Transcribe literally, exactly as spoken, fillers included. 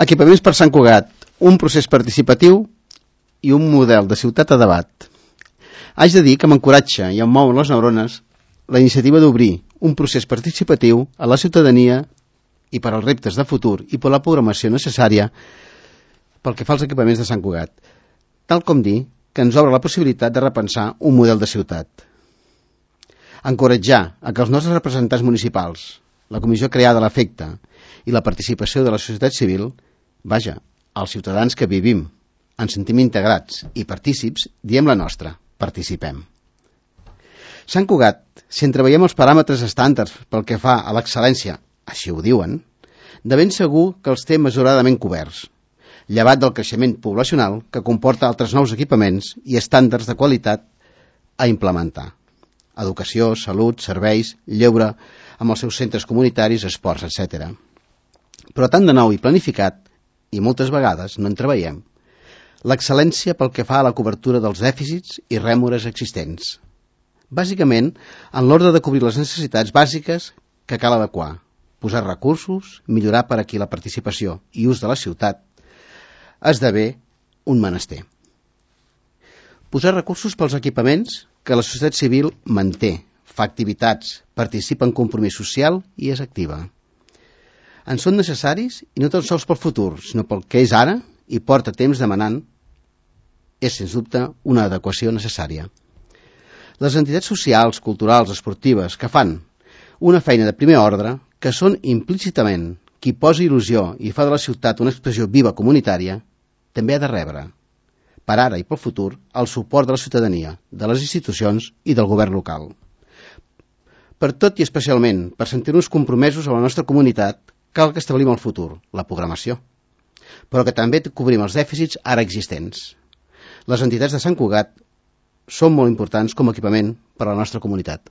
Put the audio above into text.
Equipaments per Sant Cugat, un procés participatiu i un model de ciutat a debat. Haig de dir que m'encoratja i em mouen les neurones la iniciativa d'obrir un procés participatiu a la ciutadania i per als reptes de futur i per la programació necessària pel que fa als equipaments de Sant Cugat, tal com dir que ens obre la possibilitat de repensar un model de ciutat. Encoratjar a que els nostres representants municipals, la comissió creada a l'efecte i la participació de la societat civil, vaja, els ciutadans que vivim, ens sentim integrats i partícips, diem la nostra, participem. Sant Cugat, si entreveiem els paràmetres estàndards pel que fa a l'excel·lència, així ho diuen, de ben segur que els té mesuradament coberts, llevat del creixement poblacional que comporta altres nous equipaments i estàndards de qualitat a implementar. Educació, salut, serveis, lleure, amb els seus centres comunitaris, esports, etcètera. Però tant de nou i planificat, i moltes vegades no en treveiem, l'excel·lència pel que fa a la cobertura dels dèficits i rèmores existents. Bàsicament, en l'ordre de cobrir les necessitats bàsiques que cal adequar, posar recursos, millorar per aquí la participació i ús de la ciutat, esdevé un menester. Posar recursos pels equipaments que la societat civil manté, fa activitats, participa en compromís social i és activa. En són necessaris i no tan sols pel futur, sinó pel que és ara i porta temps demanant, és sens dubte una adequació necessària. Les entitats socials, culturals, esportives que fan una feina de primer ordre, que són implícitament qui posa il·lusió i fa de la ciutat una expressió viva comunitària, també ha de rebre, per ara i pel futur, el suport de la ciutadania, de les institucions i del govern local. Per tot i especialment per sentir-nos compromesos amb la nostra comunitat, cal que establim el futur, la programació, però que també cobrim els dèficits ara existents. Les entitats de Sant Cugat són molt importants com a equipament per a la nostra comunitat.